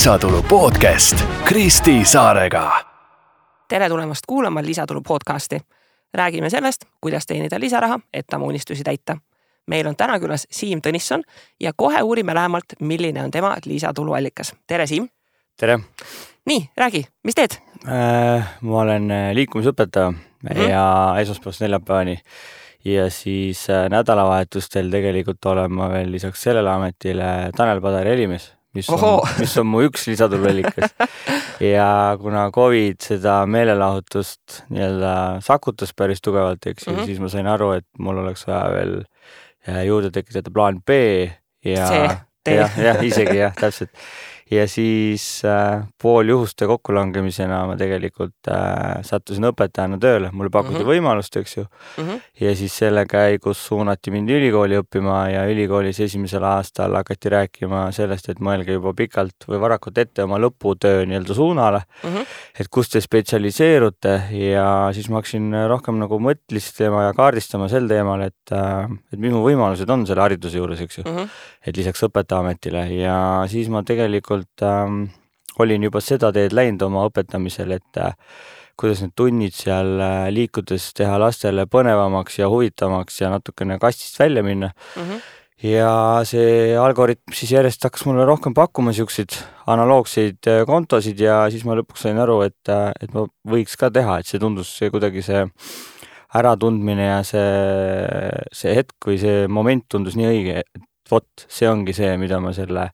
Lisatulu podcast Kristi Saarega. Tere tulemast kuulama Lisatulu podcasti. Räägime sellest, kuidas teenida lisaraha, et oma unistusi täita. Meil on täna külas Siim Tõnisson ja kohe uurime lähemalt, milline on tema lisatuluallikas. Tere, Siim! Tere! Nii, räägi, mis teed? Ma olen liikumisõpetaja ja esmaspäevast neljapäevani ja siis nädalavahetustel tegelikult olen ma veel lisaks sellele ametile Tanel Padari helimees, mis on mu üks lisatuluallikas. Ja kuna COVID seda meelelahutust nii-öelda sakutas päris tugevalt, siis ma sain aru, et mul oleks vaja veel juurde tekitada plaan B ja isegi täpselt. Ja siis pool juhuste kokkulangemisena ma tegelikult sattusin õpetajana tööle. Mulle pakuti võimalust, eks ju. Ja siis selle käigus suunati mind ülikooli õppima ja ülikoolis esimesel aastal hakati rääkima sellest, et mõelge juba pikalt või varakult ette oma lõputöö nii-öelda suunale, et kus te spetsialiseerute ja siis ma hakkasin rohkem nagu mõtlistama ja kaardistama sel teemal, et mis mu võimalused on selle hariduse juures, eks ju. Et lisaks õpetajaametile ja siis ma tegelikult olin juba seda teed läinud oma õpetamisel, et kuidas need tunnid seal liikudes teha lastele põnevamaks ja huvitavamaks ja natukene kastist välja minna. Ja see algoritm siis järjest hakkas mulle rohkem pakkuma siukseid analoogseid kontosid ja siis ma lõpuks sain aru, et ma võiks ka teha, et see tundus kuidagi see äratundmine ja see hetk või see moment tundus nii õige, et vot, see ongi see, mida ma selle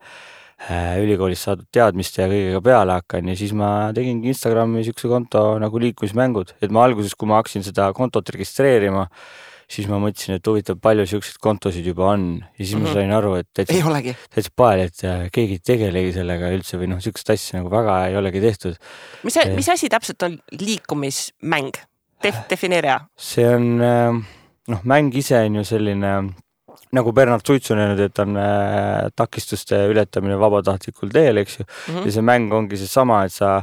ülikoolis saadud teadmiste ja kõigega peale hakkan ja siis ma tegingi Instagrami siukse konto nagu liikumismängud, et ma alguses, kui ma hakkasin seda kontot registreerima, siis ma mõtlesin, et huvitav palju siukseid kontosid juba on ja siis ma sain aru, et täitsa pael, et keegi tegelegi sellega üldse või siukest asja nagu väga ei olegi tehtud. Mis asi täpselt on liikumismäng? Defineeria. See on, mäng ise on ju selline nagu Bernard Suits on öelnud, et on takistuste ületamine vabatahtlikul teel, eks ju. Ja see mäng ongi see sama, et sa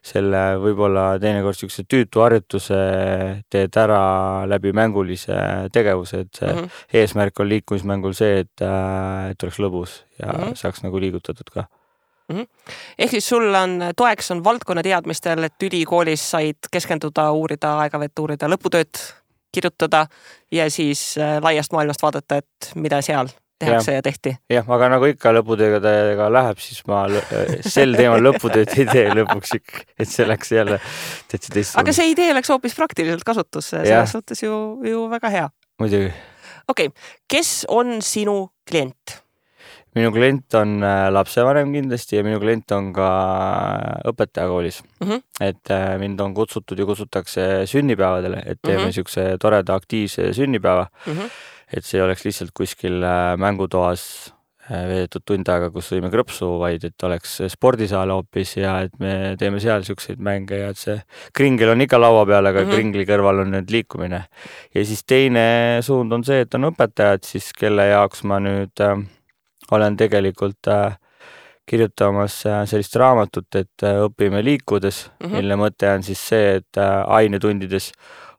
selle võib-olla teinekord siukse tüütu harjutuse teed ära läbi mängulise tegevuse, et see eesmärk on liikumismängul see, et oleks lõbus ja saaks nagu liigutatud ka. Ehk siis sul on toeks on valdkonna teadmistel, et ülikoolis said keskenduda, uurida, aegavett uurida, lõputööd kirjutada ja siis laiast maailmast vaadata, et mida seal tehakse ja tehti. Jah, aga nagu ikka lõputööga läheb, siis ma sel teemal lõputööd ei tee lõpuks, et see läks jälle täitsa teist. Aga see idee läks hoopis praktiliselt kasutusse, selles suhtes ju väga hea. Muidugi. Okei, kes on sinu klient? Minu klient on lapsevanem kindlasti ja minu klient on ka õpetajakoolis. Et mind on kutsutud ja kutsutakse sünnipäevadele, et teeme siukse toreda aktiivse sünnipäeva. Et see oleks lihtsalt kuskil mängutoas veedetud tund aega, kus võime krõpsu, vaid et oleks spordisaal hoopis ja et me teeme seal siukseid mänge ja et see kringel on ikka laua peal, aga kringli kõrval on nüüd liikumine. Ja siis teine suund on see, et on õpetajad siis, kelle jaoks ma nüüd olen tegelikult kirjutamas sellist raamatut, et õpime liikudes, mille mõte on siis see, et ainetundides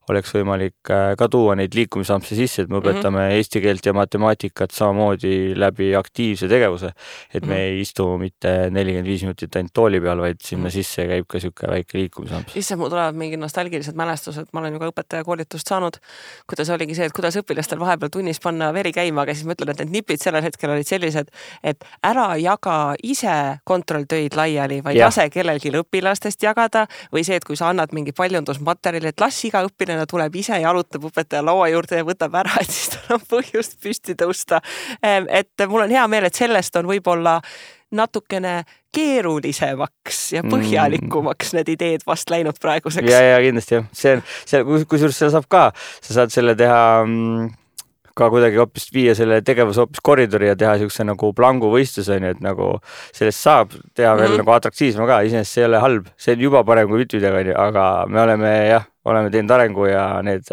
oleks võimalik ka tuua neid liikumisampse sisse, et me õpetame eesti keelt ja matemaatikat samamoodi läbi aktiivse tegevuse, et me ei istu mitte 45 minutit ainult tooli peal, vaid sinna sisse käib ka siuke väike liikumisamps. Isse mul tulevad mingi nostalgilised mälestused, ma olen ju ka õpetajakoolitust saanud, kuidas oligi see, et kuidas õpilastel vahepeal tunnis panna veri käima, aga siis ma ütlen, et need nipid sellel hetkel olid sellised, et ära jaga ise kontrolltöid laiali, vaid lase kellelgi õpilastest jagada või see, et kui sa annad mingi paljundusmaterjali, et las iga õpilane tuleb ise ja alutab õpetaja laua juurde ja võtab ära, et siis tal on põhjust püsti tõusta. Et mul on hea meel, et sellest on võib-olla natukene keerulisemaks ja põhjalikumaks need ideed vast läinud praeguseks. Ja kindlasti jah. Kusjuures seda saab ka. Sa saad selle teha ka kuidagi hoopis viia selle tegevuse hoopis koridori ja teha siukse nagu plangu võistlus, et nagu sellest saab teha veel nagu atraktiivsema ka. Iseenesest see ei ole halb. See on juba parem kui mitte midagi, aga me oleme teinud arengu ja need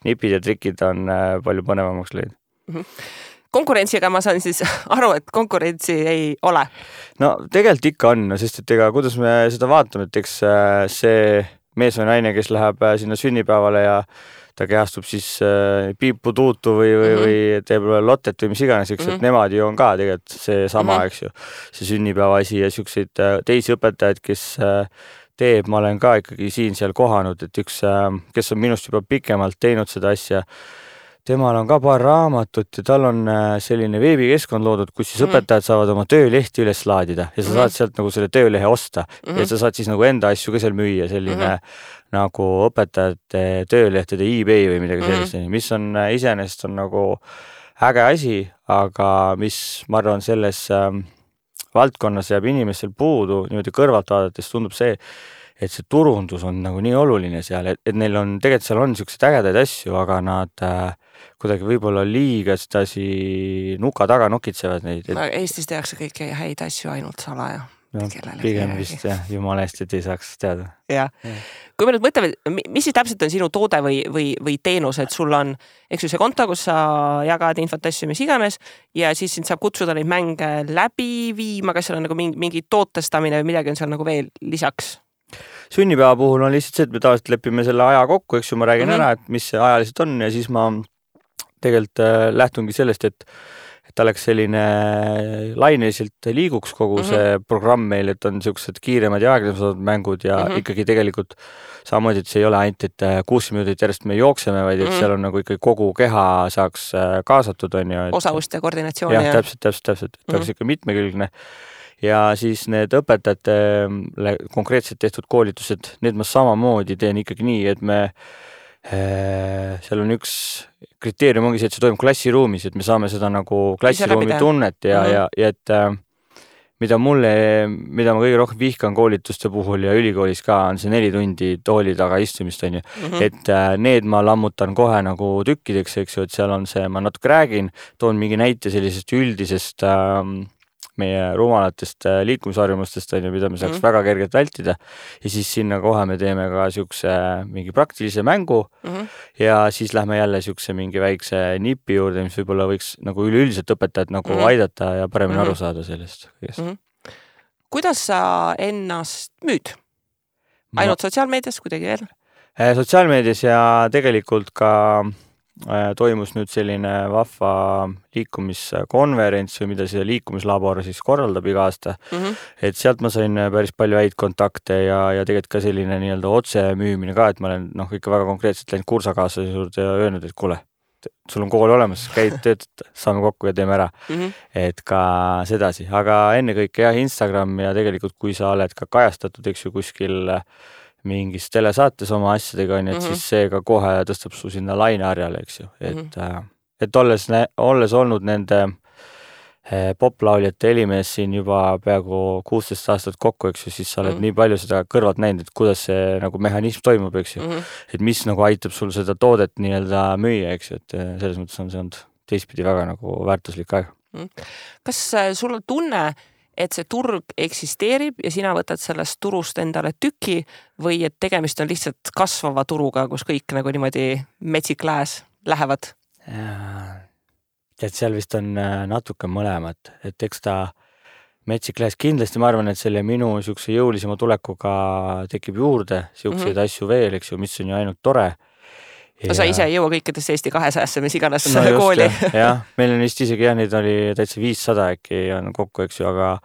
nipid ja trikid on palju põnevamaks lõinud. Konkurentsiga ma saan siis aru, et konkurentsi ei ole. No tegelikult ikka on, sest et kuidas me seda vaatame, et eks see mees või naine, kes läheb sinna sünnipäevale ja ta kehastub siis piiputuutu või teeb lottet või mis iganes, eks, et nemad ju on ka tegelikult see sama, eks ju, see sünnipäeva asi ja siukseid teisi õpetajaid, kes teeb, ma olen ka ikkagi siin-seal kohanud, et üks, kes on minust juba pikemalt teinud seda asja, temal on ka paar raamatut ja tal on selline veebikeskkond loodud, kus siis õpetajad saavad oma töölehti üles laadida ja sa saad sealt nagu selle töölehe osta ja sa saad siis nagu enda asju ka seal müüa, selline nagu õpetajate töölehtede eBay või midagi sellist, mis on iseenesest on nagu äge asi, aga mis ma arvan selles valdkonnas jääb inimestel puudu, niimoodi kõrvalt vaadates tundub see, et see turundus on nagu nii oluline seal, et neil on, tegelikult seal on niisugused ägedaid asju, aga nad kuidagi võib-olla liiga sedasi nuka taga nokitsevad neid. Eestis tehakse kõiki häid asju ainult salaja. No, pigem vist jah, jumala eest, et ei saaks teada. Ja. Kui me nüüd mõtleme, mis siis täpselt on sinu toode või teenus, et sul on eks ju see konto, kus sa jagad infot asju, mis iganes ja siis sind saab kutsuda neid mänge läbi viima, kas seal on nagu mingi tootestamine või midagi on seal nagu veel lisaks? Sünnipäeva puhul on lihtsalt see, et me tavaliselt lepime selle aja kokku, eks ju, ma räägin ära, et mis see ajaliselt on ja siis ma tegelikult lähtungi sellest, et ta oleks selline laineliselt liiguks kogu see programm meil, et on niisugused kiiremad ja aeglasemad mängud ja ikkagi tegelikult samamoodi, et see ei ole ainult, et 60 minutit järjest me jookseme, vaid et seal on nagu ikkagi kogu keha saaks kaasatud, on ju. Osavust ja koordinatsiooni. Ja, täpselt, et oleks ikka mitmekülgne. Ja siis need õpetajatele konkreetselt tehtud koolitused, need ma samamoodi teen ikkagi nii, et me seal on üks kriteerium ongi see, et see toimub klassiruumis, et me saame seda nagu klassiruumi tunnet ja et mida ma kõige rohkem vihkan koolituste puhul ja ülikoolis ka on see 4 tundi tooli taga istumist, on ju. Et need ma lammutan kohe nagu tükkideks, eks ju, et seal on see, ma natuke räägin, toon mingi näite sellisest üldisest meie rumalatest liikumisharjumustest, mida me saaks väga kergelt vältida ja siis sinna kohe me teeme ka siukse mingi praktilise mängu ja siis lähme jälle siukse mingi väikse nipi juurde, mis võib-olla võiks nagu üleüldiselt õpetajat nagu aidata ja paremini aru saada sellest. Kuidas sa ennast müüd? Ainult sotsiaalmeedias kuidagi veel? Sotsiaalmeedias ja tegelikult ka toimus nüüd selline vahva liikumiskonverents või mida see liikumislabor siis korraldab iga aasta. Et sealt ma sain päris palju häid kontakte ja tegelikult ka selline nii-öelda otse müümine ka, et ma olen ikka väga konkreetselt läinud kursakaaslase juurde ja öelnud, et kuule, sul on kool olemas, käid töötad, saame kokku ja teeme ära. Et ka sedasi, aga ennekõike jah, Instagram ja tegelikult kui sa oled ka kajastatud, eks ju, kuskil mingis telesaates oma asjadega on, et siis see ka kohe tõstab su sinna laineharjale, eks ju. Et olles olnud nende poplauljate Helimees siin juba peaaegu 16 aastat kokku, eks ju, siis sa oled nii palju seda kõrvalt näinud, et kuidas see nagu mehhanism toimub, eks ju. Et mis nagu aitab sul seda toodet nii-öelda müüa, eks ju, et selles mõttes on see olnud teistpidi väga nagu väärtuslik aeg. Kas sul on tunne, et see turg eksisteerib ja sina võtad sellest turust endale tüki või et tegemist on lihtsalt kasvava turuga, kus kõik nagu niimoodi metsikläes lähevad? Tead, seal vist on natuke mõlemat, et eks ta metsikläes kindlasti ma arvan, et selle minu siukse jõulisema tulekuga tekib juurde siukseid asju veel, eks ju, mis on ju ainult tore. Ja sa ise ei jõua kõikidest Eesti 200-sse, mis iganes kooli. Jah, meil on vist isegi neid oli täitsa 500 äkki on kokku, eks ju, aga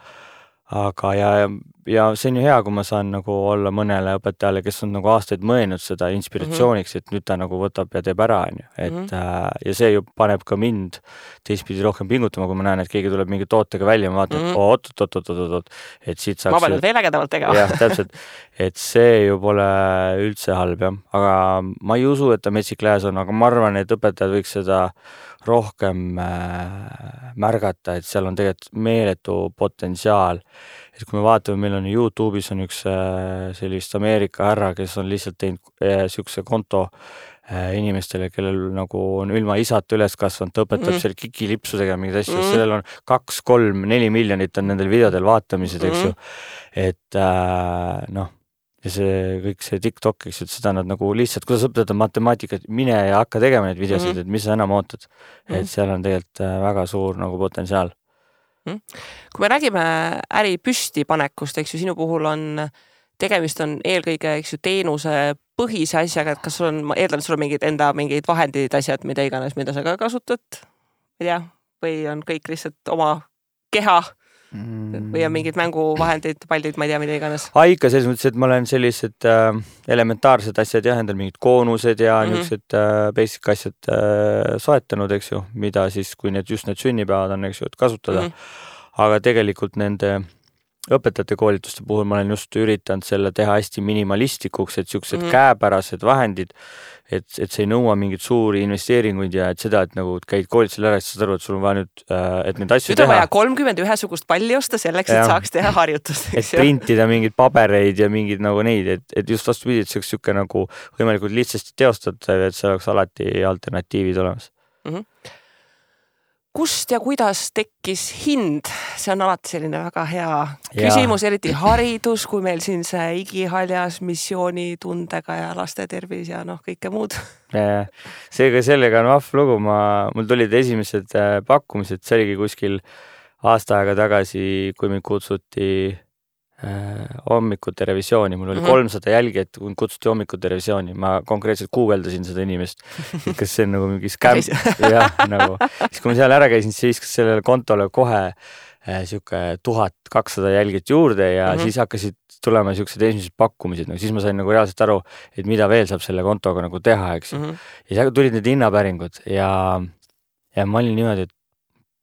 ja see on ju hea, kui ma saan nagu olla mõnele õpetajale, kes on nagu aastaid mõelnud seda inspiratsiooniks, et nüüd ta nagu võtab ja teeb ära, on ju. Et ja see ju paneb ka mind teistpidi rohkem pingutama, kui ma näen, et keegi tuleb mingi tootega välja, ma vaatan, oot, et siit saaks... Ma pean veel ägedavalt tegema. Jah, täpselt. Et see ju pole üldse halb, jah. Aga ma ei usu, et ta metsikläes on, aga ma arvan, et õpetajad võiks seda rohkem märgata, et seal on tegelikult meeletu potentsiaal. Et kui me vaatame, meil on YouTube'is on üks sellist Ameerika härra, kes on lihtsalt teinud siukse konto inimestele, kellel nagu on ilma isata üles kasvanud, ta õpetab seal kikilipsudega mingid asju, sellel on 2, 3, 4 miljonit on nendel videodel vaatamised, eks ju. Et ja see kõik see TikTok, eks ju, et seda nad nagu lihtsalt, kuidas õpetada matemaatikat, mine ja hakka tegema neid videosid, et mis sa enam ootad. Et seal on tegelikult väga suur nagu potentsiaal. Kui me räägime äri püstipanekust, eks ju, sinu puhul on tegemist on eelkõige, eks ju, teenuse põhise asjaga, et kas sul on, ma eeldan, et sul on mingid vahendid, asjad, mida iganes, mida sa ka kasutad, ei tea, või on kõik lihtsalt oma keha või on mingid mänguvahendid, pallid, ma ei tea, mida iganes? Ikka selles mõttes, et ma olen sellised elementaarsed asjad jah, endal mingid koonused ja niisugused basic asjad soetanud, eks ju, mida siis, kui need sünnipäevad on, eks ju, et kasutada. Aga tegelikult nende õpetajate koolituste puhul ma olen just üritanud selle teha hästi minimalistlikuks, et siuksed käepärased vahendid, et see ei nõua mingid suuri investeeringuid ja et seda, et nagu käid koolitusel ära, siis saad aru, et sul on vaja nüüd, et neid asju teha. Nüüd on vaja 31 palli osta selleks, et saaks teha harjutust. Et printida mingeid pabereid ja mingid nagu neid, et just vastupidi, et see oleks siuke nagu võimalikult lihtsasti teostatav, et see oleks alati alternatiivid olemas. Kust ja kuidas tekkis hind? See on alati selline väga hea küsimus, eriti haridus, kui meil siin see igihaljas missioonitundega ja laste tervis ja kõike muud. Sellega on vahv lugu. Mul tulid esimesed pakkumised, see oligi kuskil aasta aega tagasi, kui mind kutsuti hommikute revisiooni. Mul oli 300 jälgijat, kui kutsuti hommikute revisiooni. Ma konkreetselt guugeldasin seda inimest, kas see on nagu mingi skäm. Jah, nagu. Siis kui ma seal ära käisin, siis viskas sellele kontole kohe siuke 1200 jälgijat juurde ja siis hakkasid tulema siuksed esimesed pakkumised. Siis ma sain nagu reaalselt aru, et mida veel saab selle kontoga nagu teha, eks. Ja siis tulid need hinnapäringud ja ma olin niimoodi, et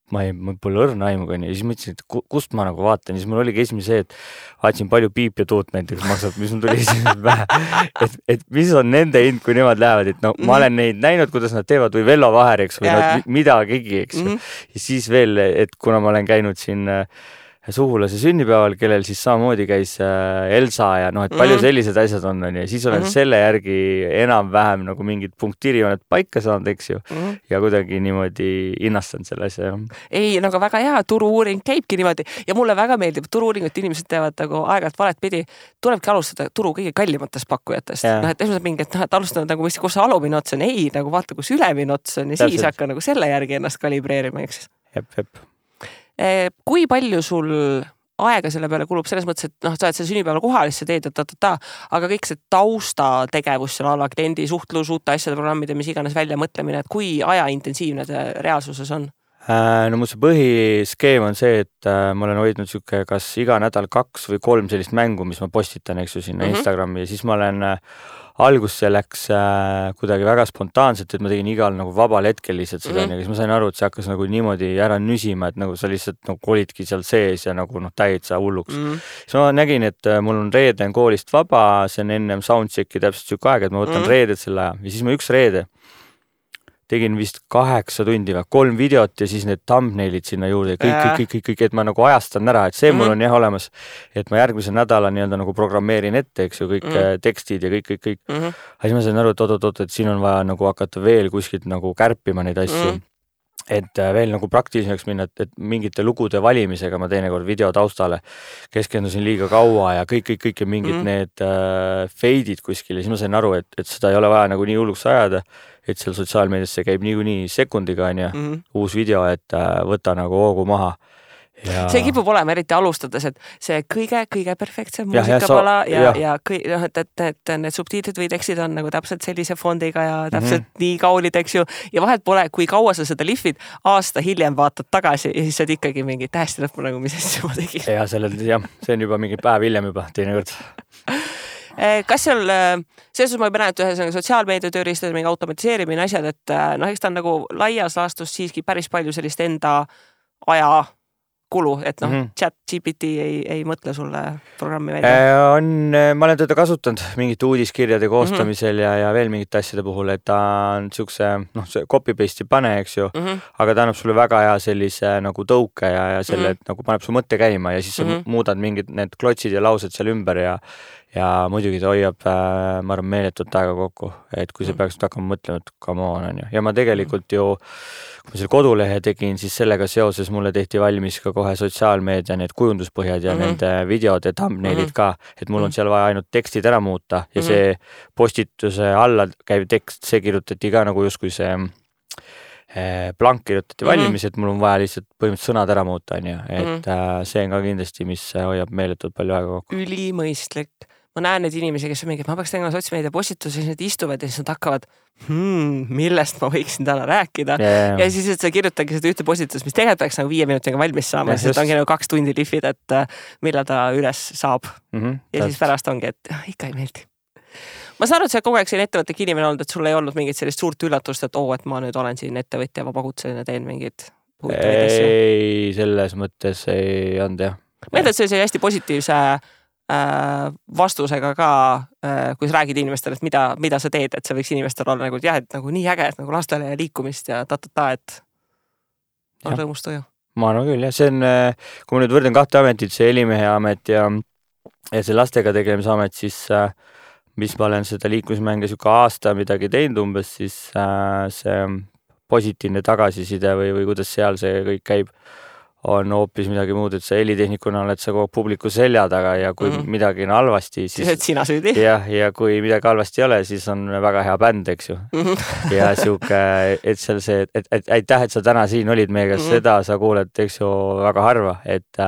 ma pole õrna aimuga ja siis mõtlesin, et kust ma nagu vaatan ja siis mul oligi esimene see, et vaatasin palju piip ja tuut näiteks maksab, mis mul tuli esimesed pähe, et mis on nende hind, kui nemad lähevad, et ma olen neid näinud, kuidas nad teevad või Vello Vaher, eks, või midagigi, eks. Ja siis veel, et kuna ma olen käinud siin suhulase sünnipäeval, kellel siis samamoodi käis Elsa ja et palju sellised asjad on ja siis olen selle järgi enam-vähem nagu mingid punktiiriooned paika saanud, eks ju, ja kuidagi niimoodi hinnastanud selle asja. Ei, aga väga hea, turu-uuring käibki niimoodi ja mulle väga meeldib, turu-uuringut inimesed teevad nagu aeg-ajalt valet pidi, tulebki alustada turu kõige kallimatest pakkujatest. Et esmalt mingi, et alustanud nagu, kus see alumine ots on, ei, nagu vaata, kus ülemine ots on ja siis hakka nagu selle järgi ennast kalibreerima, eks. Jep. Kui palju sul aega selle peale kulub selles mõttes, et sa oled selle sünnipäeval kohal, siis sa teed, aga kõik see taustategevus seal alla kliendi suhtlus, uute asjade programmide, mis iganes välja mõtlemine, et kui ajaintensiivne see reaalsuses on? No mul see põhiskeem on see, et ma olen hoidnud siuke kas iga nädal 2 või 3 sellist mängu, mis ma postitan, eks ju, sinna Instagrami ja siis ma olen algus see läks kuidagi väga spontaanselt, et ma tegin igal nagu vabal hetkel lihtsalt seda ja siis ma sain aru, et see hakkas nagu niimoodi ära nüsima, et nagu sa lihtsalt nagu olidki seal sees ja nagu täitsa hulluks. Siis ma nägin, et mul on reede on koolist vaba, see on ennem soundchecki täpselt siuke aeg, et ma võtan reeded selle aja ja siis ma üks reede tegin vist 8 tundi või 3 videot ja siis need thumbnailid sinna juurde kõik, et ma nagu ajastan ära, et see mul on jah olemas, et ma järgmise nädala nii-öelda nagu programmeerin ette, eks ju, kõik tekstid ja kõik. Aga siis ma sain aru, et oot, et siin on vaja nagu hakata veel kuskilt nagu kärpima neid asju. Et veel nagu praktiliseks minna, et mingite lugude valimisega ma teinekord video taustale keskendusin liiga kaua ja kõik ja mingid need feidid kuskil ja siis ma sain aru, et seda ei ole vaja nagu nii hulluks ajada, et seal sotsiaalmeediasse käib niikuinii sekundiga on ja uus video, et võta nagu hoogu maha. Ja... See kipub olema eriti alustades, et see kõige perfektsem muusikapala ja et need subtiitrid või tekstid on nagu täpselt sellise fondiga ja täpselt nii kaunid, eks ju. Ja vahet pole, kui kaua sa seda lihvid, aasta hiljem vaatad tagasi ja siis saad ikkagi mingi tähesti lõppu nagu, mis asja ma tegin. Ja see on juba mingi päev hiljem juba teinekord. Kas seal, selles ma juba näen, et ühes sotsiaalmeedia tööriistade mingi automatiseerimine asjad, et eks ta on nagu laias laastus siiski päris palju sellist enda aja kulu, et chat GPT ei mõtle sulle programmi välja. Ma olen teda kasutanud mingite uudiskirjade koostamisel ja veel mingite asjade puhul, et ta on siukse, see copy-paste ei pane, eks ju, aga ta annab sulle väga hea sellise nagu tõuke ja selle, et nagu paneb su mõtte käima ja siis sa muudad mingid need klotsid ja laused seal ümber ja muidugi ta hoiab, ma arvan, meeletut aega kokku, et kui sa peaks hakkama mõtlema, et come on, on ju. Ja ma tegelikult ju, kui ma selle kodulehe tegin, siis sellega seoses mulle tehti valmis ka kohe sotsiaalmeedia need kujunduspõhjad ja nende videod ja thumbnailid ka, et mul on seal vaja ainult tekstid ära muuta ja see postituse alla käiv tekst, see kirjutati ka nagu justkui see blank kirjutati valmis, et mul on vaja lihtsalt põhimõtteliselt sõnad ära muuta, on ju, et see on ka kindlasti, mis hoiab meeletult palju aega kokku. Ülimõistlik. ma näen neid inimesi, kes on mingi, et ma peaks tegema sotsmeedia postitusi, siis nad istuvad ja siis nad hakkavad, millest ma võiksin täna rääkida. Ja siis, et sa kirjutagi seda ühte postitust, mis tegelikult peaks nagu 5 minutiga valmis saama, siis ongi nagu 2 tundi lihvid, et millal ta üles saab. Ja siis pärast ongi, et ikka ei meeldi. Ma saan aru, et sa kogu aeg siin ettevõtlik inimene olnud, et sul ei olnud mingit sellist suurt üllatust, et et ma nüüd olen siin ettevõtja, vabakutseline, teen mingid huvitavaid asju. Ei, selles mõttes ei olnud jah. Ma eeldan, et see oli hästi positiivse vastusega ka, kui sa räägid inimestele, et mida sa teed, et see võiks inimestel olla nagu, et nagu nii äge, et nagu lastele ja liikumist ja et on rõõmust tuju. Ma arvan küll, jah. See on, kui ma nüüd võrden 2 ametit, see helimehe amet ja see lastega tegelemise amet, siis mis ma olen seda liikumismänge siuke aasta midagi teinud umbes, siis see positiivne tagasiside või kuidas seal see kõik käib, on hoopis midagi muud, et sa helitehnikuna oled sa kogu publiku selja taga ja kui midagi on halvasti, siis et sina süüdi. Ja kui midagi halvasti ei ole, siis on väga hea bänd, eks ju. Ja siuke, et seal see, et aitäh, et sa täna siin olid meiega, seda sa kuuled, eks ju, väga harva, et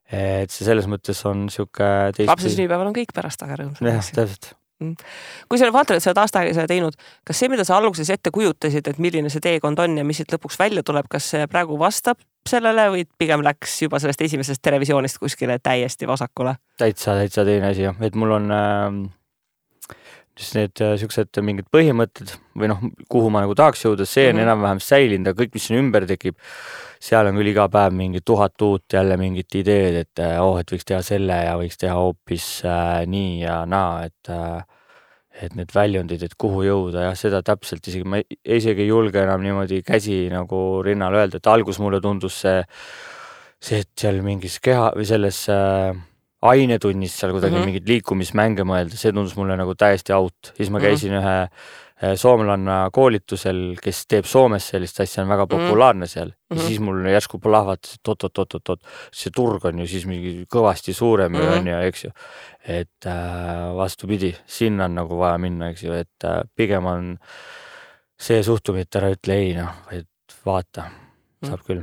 see selles mõttes on siuke lapse sünnipäeval on kõik pärast aga rõõmsad. Jah, täpselt. Kui sa vaatad, et sa oled aasta aega seda teinud, kas see, mida sa alguses ette kujutasid, et milline see teekond on ja mis siit lõpuks välja tuleb, kas see praegu vastab sellele või pigem läks juba sellest esimesest televisioonist kuskile täiesti vasakule? Täitsa teine asi, et mul on need siuksed mingid põhimõtted või kuhu ma nagu tahaks jõuda, see on enam-vähem säilinud, aga kõik, mis siin ümber tekib, seal on küll iga päev mingi 1000 uut jälle mingit ideed, et võiks teha selle ja võiks teha hoopis nii ja naa, et need väljundid, et kuhu jõuda ja seda täpselt ma isegi ei julge enam niimoodi käsi nagu rinnal öelda, et algus mulle tundus see, et seal mingis keha või selles ainetunnis seal kuidagi mingid liikumismänge mõelda, see tundus mulle nagu täiesti out. Siis ma käisin ühe soomlanna koolitusel, kes teeb Soomes sellist asja, on väga populaarne seal. Ja siis mul järsku lahvatas, et see turg on ju siis mingi kõvasti suurem on ja eks ju. Et vastupidi, sinna on nagu vaja minna, eks ju, et pigem on see suhtumine, et ära ütle ei, et vaata, saab küll.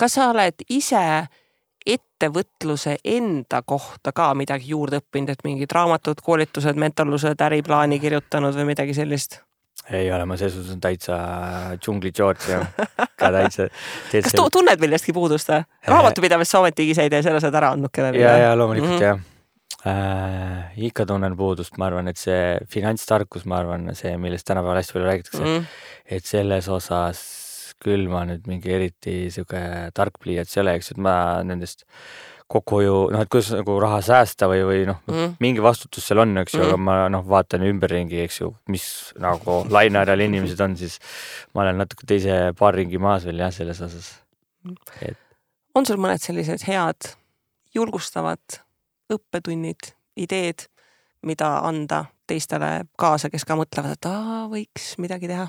Kas sa oled ise ettevõtluse enda kohta ka midagi juurde õppinud, et mingid raamatud, koolitused, mentorlused, äriplaani kirjutanud või midagi sellist? Ei ole, ma selles on täitsa džungli George ja ka täitsa. Kas tunned millestki puudust? Raamatupidavest sa ometigi ise ei tee, selle saad ära andnud kellele? Ja loomulikult jah. Ikka tunnen puudust, ma arvan, et see finantstarkus, ma arvan, see, millest tänapäeval hästi palju räägitakse, et selles osas küll ma nüüd mingi eriti siuke tark pliiats ei ole, eks, et ma nendest kokkuhoiu, et kuidas nagu raha säästa või mingi vastutus seal on, eks ju, aga ma vaatan ümberringi, eks ju, mis nagu lainearal inimesed on, siis ma olen natuke teise paar ringi maas veel jah, selles osas. On sul mõned sellised head, julgustavad õppetunnid, ideed, mida anda teistele kaasa, kes ka mõtlevad, et võiks midagi teha?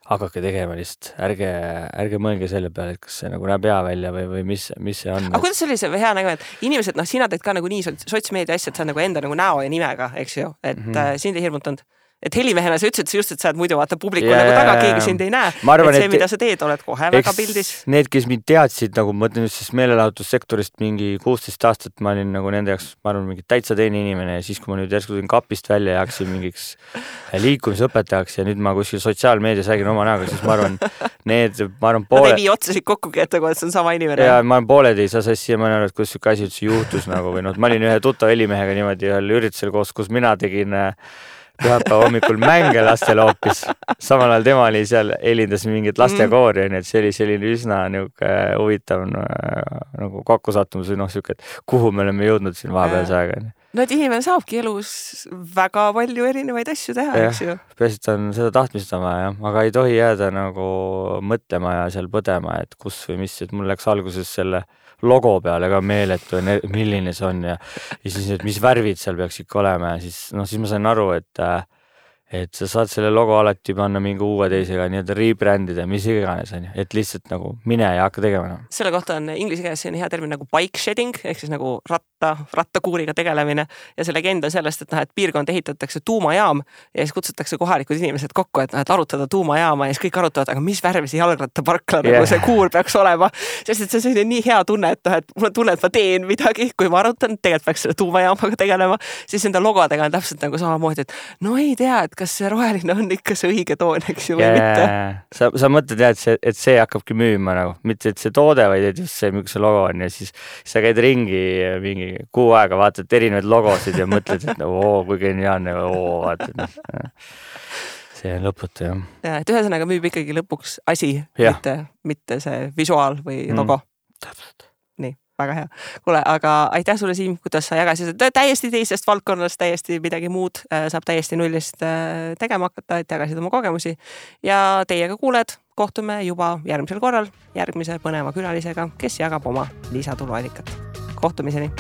Hakake tegema lihtsalt, ärge mõelge selle peale, et kas see nagu näeb hea välja või mis see on. Aga kuidas see oli see hea nägu, et inimesed, sina teed ka nagu nii sotsmeedia asja, et sa nagu enda nagu näo ja nimega, eks ju, et sind ei hirmutanud. Et helimehena sa ütlesid just, et sa oled muidu vaata publiku nagu taga, keegi sind ei näe. Arvan, et see, mida sa teed, oled kohe väga pildis. Need, kes mind teadsid, nagu ma mõtlen just meelelahutussektorist mingi 16 aastat, ma olin nagu nende jaoks, ma arvan, mingi täitsa teine inimene ja siis, kui ma nüüd järsku tulin kapist välja ja hakkasin mingiks liikumisõpetajaks ja nüüd ma kuskil sotsiaalmeedias räägin oma näoga, siis ma arvan, pooled... ei vii otsasid kokkugi, et see on sama inimene. Ja ma arvan, pooled ei saa sassi ja ma arvan, et kus siuke asi üldse juhtus nagu või ma olin ühe tuttav helimehega niimoodi ühel üritusel koos, kus mina tegin pühapäeva hommikul mänge lastele hoopis. Samal ajal tema oli seal, helindas mingit lastekoori, et see oli selline üsna huvitav nagu kokkusattumus või siuke, et kuhu me oleme jõudnud siin vahepealse aega. Et inimene saabki elus väga palju erinevaid asju teha, eks ju. Peaasi, on seda tahtmist on vaja, aga ei tohi jääda nagu mõtlema ja seal põdema, et kus või mis, et mul läks alguses selle logo peale ka meeletu, milline see on ja siis, et mis värvid seal peaks ikka olema ja siis ma sain aru, et et sa saad selle logo alati panna mingi uue teisega nii-öelda rebrandida, mis iganes on ju, et lihtsalt nagu mine ja hakka tegema. Selle kohta on inglise keeles selline hea termin nagu bike shedding ehk siis nagu rattakuuriga tegelemine ja see legend on sellest, et piirkond ehitatakse tuumajaam ja siis kutsutakse kohalikud inimesed kokku, et arutada tuumajaama ja siis kõik arutavad, aga mis värvi see jalgrattaparkla nagu see kuur peaks olema, sest et see on nii hea tunne, et mul on tunne, et ma teen midagi, kui ma arutan, tegelikult peaks selle tuumajaamaga tegelema, siis enda logodega on täpselt nagu samamoodi, et no ei tea, et kas see roheline on ikka see õige toon, eks ju, või mitte. Sa mõtled jah, et see hakkabki müüma nagu, mitte et see toode, vaid et just see, milline see logo on ja siis sa käid ringi mingi kuu aega, vaatad erinevaid logosid ja mõtled, et kui geniaalne, vaatad. See on lõputu, jah. Ja, et ühesõnaga müüb ikkagi lõpuks asi, mitte see visuaal või logo. Täpselt. Nii, väga hea. Kuule, aga aitäh sulle, Siim, kuidas sa jagasid täiesti teisest valdkonnast, täiesti midagi muud, saab täiesti nullist tegema hakata, et jagasid oma kogemusi ja teiega kuuled, kohtume juba järgmisel korral järgmise põneva külalisega, kes jagab oma lisatuluallikat. Kohtumiseni!